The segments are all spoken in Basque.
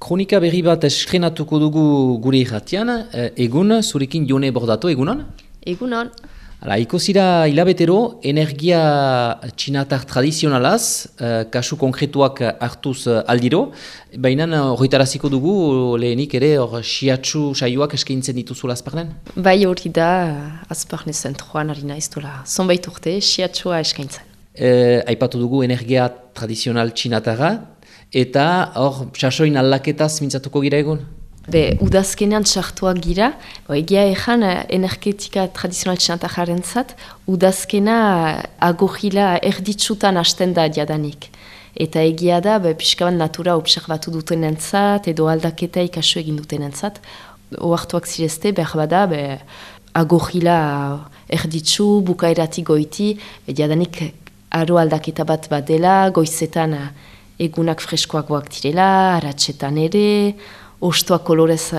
Kronika berri bat estrenatuko dugu gure irratian, egun, zurekin Jone Bordatu, egunon? Egunon. Hala, ikusira hilabetero, energia txinatar tradizionalaz, kasu konkretuak hartuz aldiro, baina horretaraziko dugu lehenik ere siatsu saioak eskaintzen dituzula azparnen? Bai hori da, azparne zentroan harina ez dola, zonbait urte, siatsua eskaintzen. Aipatu dugu energia tradizional txinatara, eta hor, sasoin aldaketaz mintzatuko gira egun? Udazkenean txartuak gira, egia ezan energetika tradizional txinatararen zat, udazkena agorila erditsutan hasten da jadanik. Eta egia da, pixkaban natura observatu duten entzat, edo aldaketa ikasu egin duten entzat. Oartuak zirezte, behar bada, agorila erditsu, bukaeratik goiti, jadanik aro aldaketa bat dela, goizetan egunak freskoagoak direla, aratsetan ere, ostoak kolorez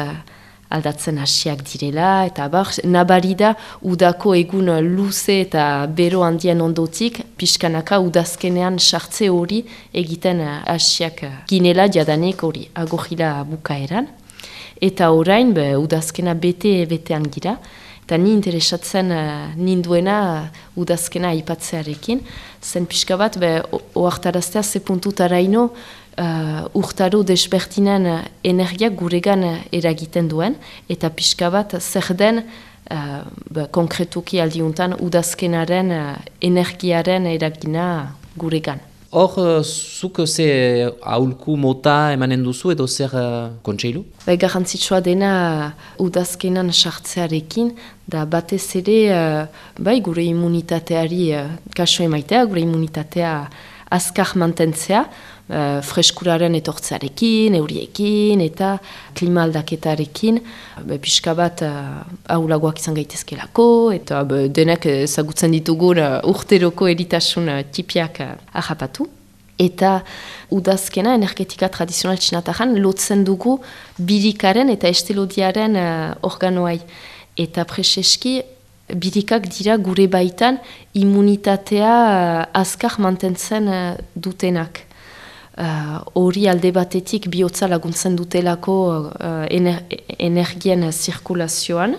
aldatzen hasiak direla, eta nabari da udako egun luze eta bero handien ondotik, pixkanaka udazkenean sartze hori egiten hasiak ginela jadanik hori agorila bukaeran. Eta orain udazkena betean gira, eta ni interesatzen ninduena udazkena aipatzearekin, zen pixka bat oartaraztea ze puntutaraino urtaro desbertinen energiak guregan eragiten duen, eta pixka bat zer den konkretuki aldiuntan udazkenaren energiaren eragina guregan. Hor, zuk ze aholku mota emanen duzu edo zer kontseilu? Garrantzitsua dena udazkenan sartzearekin, da batez ere gure immunitateari kaso emaitea, gure immunitatea azkar mantentzea, freskuraren etortzearekin, euriekin eta klima aldaketarekin, pixka bat ahulagoak izan gaitezkelako, eta denak ezagutzen ditugun urteroko eritasun tipiak ahapatu. Eta udazkena energetika tradizional txinataran lotzen dugu birikaren eta estelodiaren organoai. Eta preseski birikak dira gure baitan immunitatea azkar mantentzen dutenak. Hori alde batetik bihotza laguntzen dutelako energien zirkulazioan,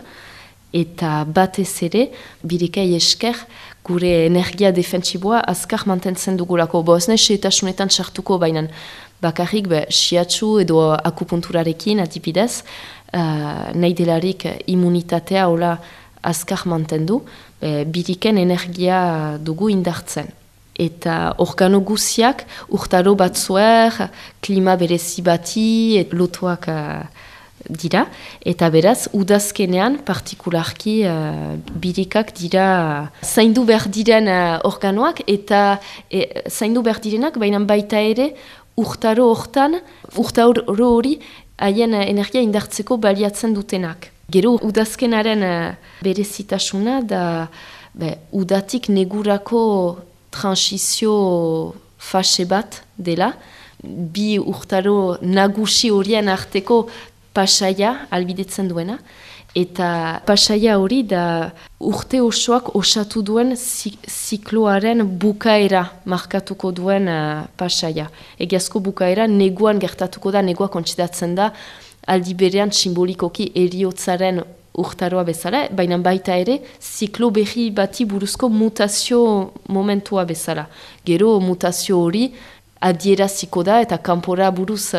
eta batez ere, birikei esker, gure energia defentsiboa azkar mantentzen dugulako. Ez nahi setasunetan sartuko bainan, bakarrik siatsu edo akupunturarekin adibidez, nahi delarik immunitatea hola azkar mantendu, biriken energia dugu indartzen. Eta organo guziak urtaro batzuer, klima berezi bati, lotuak dira. Eta beraz, udazkenean partikularki birikak dira zaindu behar diren organoak, eta zaindu behar direnak, baina baita ere urtaro hori haien energia indartzeko baliatzen dutenak. Gero udazkenaren berezitasuna da udatik negurako transizio fase bat dela, bi urtaro nagusi horien arteko pasaia albidetzen duena, eta pasaia hori da urte osoak osatu duen zikloaren bukaera markatuko duen pasaia. Egiazko bukaera neguan gertatuko da, negua kontsidatzen da, aldi berean simbolikoki eriotzaren urtaroa bezala, baina baita ere, ziklo berri bati buruzko mutazio momentua bezala. Gero mutazio hori adieraziko da eta kanpora buruz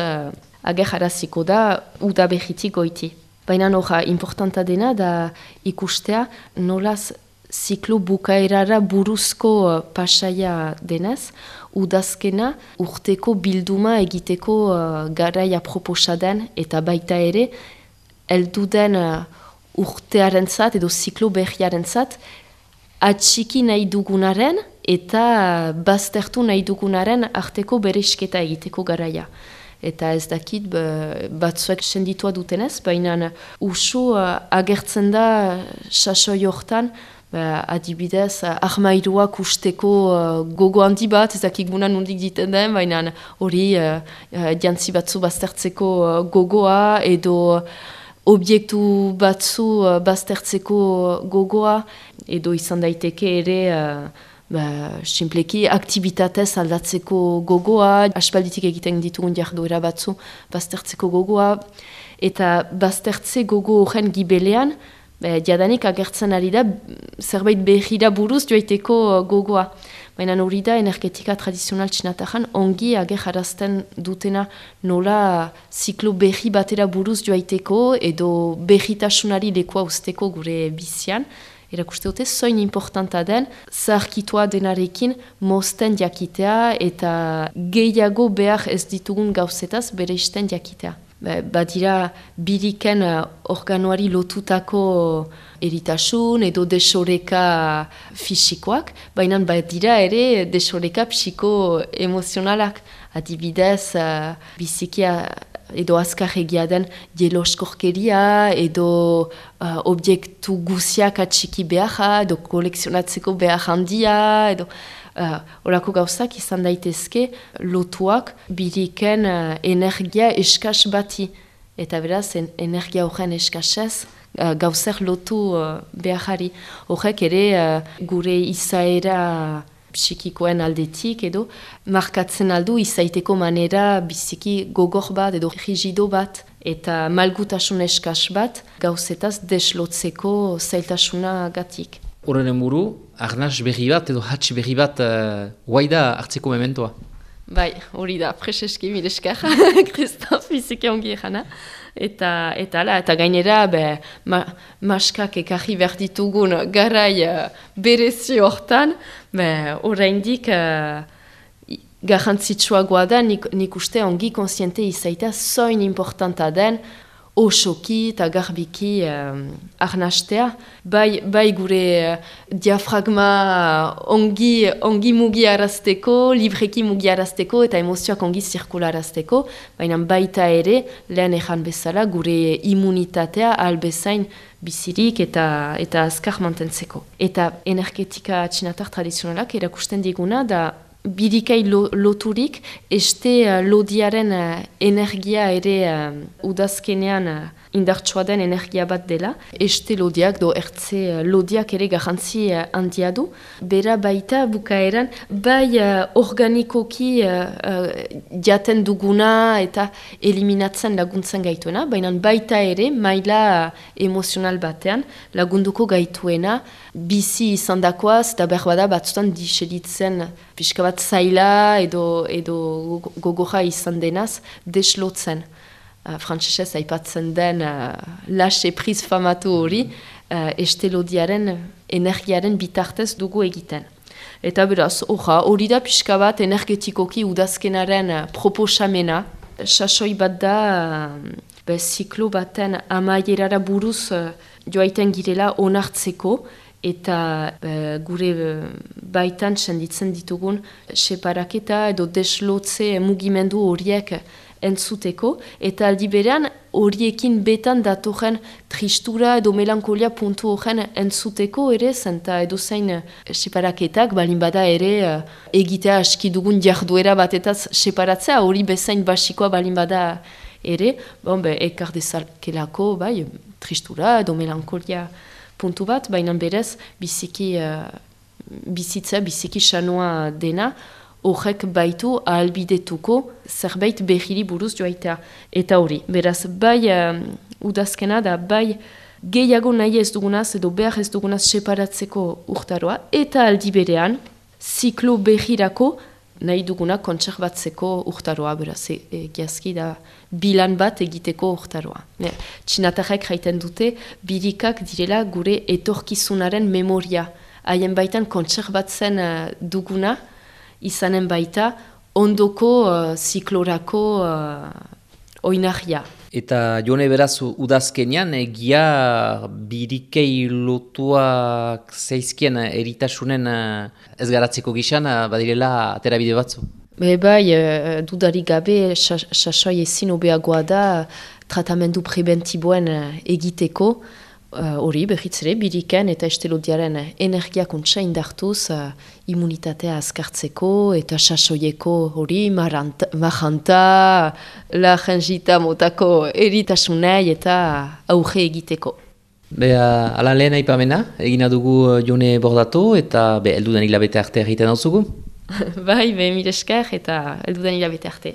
agerraraziko da uda berritik goiti. Baina noja, importanta dena da ikustea nolaz ziklo bukaerara buruzko pasaia denez, udazkena urteko bilduma egiteko garaia proposaden eta baita ere, elduden urtearen zat edo ziklo berriaren zat, atxiki nahi dugunaren eta baztertu nahi dugunaren arteko beresketa egiteko garaia. Eta ez dakit batzuek senditua dutenez, baina usu agertzen da sasoi hortan, adibidez, armairuak usteko gogo handi bat, ez dakik gunan nondik diten den, baina hori jantzi batzu baztertzeko gogoa edo objektu batzu baztertzeko gogoa, edo izan daiteke ere Simpleki aktibitatez aldatzeko gogoa, aspalditik egiten ditugun jarduera batzu baztertzeko gogoa, eta baztertze gogo horren gibelean, jadanik agertzen ari da zerbait behira buruz joaiteko gogoa. Baina hori da energetika tradizional txinatarran ongi agerrarazten dutena nola ziklo behi batera buruz joaiteko edo behitasunari lekoa usteko gure bizian. Erakuste dute, zoin importanta den, zaharkitua denarekin mozten jakitea eta gehiago behar ez ditugun gauzetaz bere isten jakitea. Badira biriken organoari lotutako eritasun edo desoreka fisikoak, baina badira ere desoreka psiko-emozionalak. Adibidez, bizikia edo azkarregia den jeloskorkeria, edo objektu guziak atxiki beharra, edo kolekzionatzeko behar handia, edo horako gauzak izan daitezke lotuak biriken energia eskas bati. Eta beraz, energia horren eskasez gauzer lotu beharari. Horrek ere gure izaera psikikoen aldetik edo markatzen aldu izaiteko manera biziki gogor bat edo rigido bat eta malgutasun eskas bat gauzetaz deslotzeko zailtasuna gatik. Horren buru, arnaz berri bat edo hatx berri bat guaida hartzeko mementoa. Bai, hori da, preseski mileskar, Kristof, biziki ongi egana. Eta gainera, maskak ekarri behar ditugun garai berezi hortan, oraindik garrantzitsuagoa da, nik uste ongi konsiente izaita zoin importanta den, osoki eta garbiki arnastea. Bai gure diafragma ongi mugiarazteko, libreki mugiarazteko eta emozioak ongi zirkularazteko, baina baita ere, lehen ejan bezala, gure immunitatea albezain bizirik eta azkar mantentzeko. Eta energetika txinatar tradizionalak erakusten diguna da birikai loturik, este lodiaren energia ere udazkenean indartsua den energia bat dela. Este lodiak, ertze lodiak ere garrantzi handia du. Bera baita bukaeran, bai organikoki jaten duguna eta eliminatzen laguntzen gaituena, baina baita ere maila emozional batean lagunduko gaituena, bizi izandakoaz eta berbada batzutan diselitzen pixka bat zaila edo gogorra izan denaz deslotzen. Frantsesez aipatzen den lase priz famatu hori estelodiaren energiaren bitartez dugu egiten. Eta beraz, hori da pixka bat energetikoki udazkenaren proposamena. Sasoi bat da ziklo baten amaierara buruz joaiten girela onartzeko, eta gure baitan senditzen ditugun separaketa edo deslotze mugimendu horiek entzuteko, eta aldi berean horiekin betan datorren tristura edo melankolia puntu horren entzuteko ere, zenta edo zein separaketak, balin bada ere egitea aski dugun jarduera batetaz separatzea, hori bezain basikoa balin bada ere, ekar dezakelako, tristura edo melankolia puntu bat, baina berez biziki sanoa dena, horrek baitu ahalbidetuko zerbait behiri buruz joaitea. Eta hori, beraz, bai udazkena da, bai gehiago nahi ez dugunaz edo behar ez dugunaz separatzeko urtaroa, eta aldi berean, ziklo behirako nahi duguna kontserbatzeko urtaroa, beraz, egiazki da bilan bat egiteko urtaroa. Txinatarrek jaiten dute, birikak direla gure etorkizunaren memoria. Haien baitan kontserbatzen duguna, izanen baita ondoko ziklorako oinarria. Eta jone beraz udazkenean egia birikei lotuak zeizkien eritasunen ez garatzeko gizan badirela aterabide batzu? Dudarik gabe sasoi ezin hobeagoa da tratamendu preventiboen egiteko. Hori, behitzere, biriken eta estelodiaren energiakuntza indartuz immunitatea azkartzeko eta sasoieko hori maranta, la jangita motako eritasunei eta auge egiteko. Ala lehen aipamena, egina dugu Jone Bordatu eta heldudan hilabete arte egiten dauzugu. Bai, mire esker eta heldudan hilabete arte.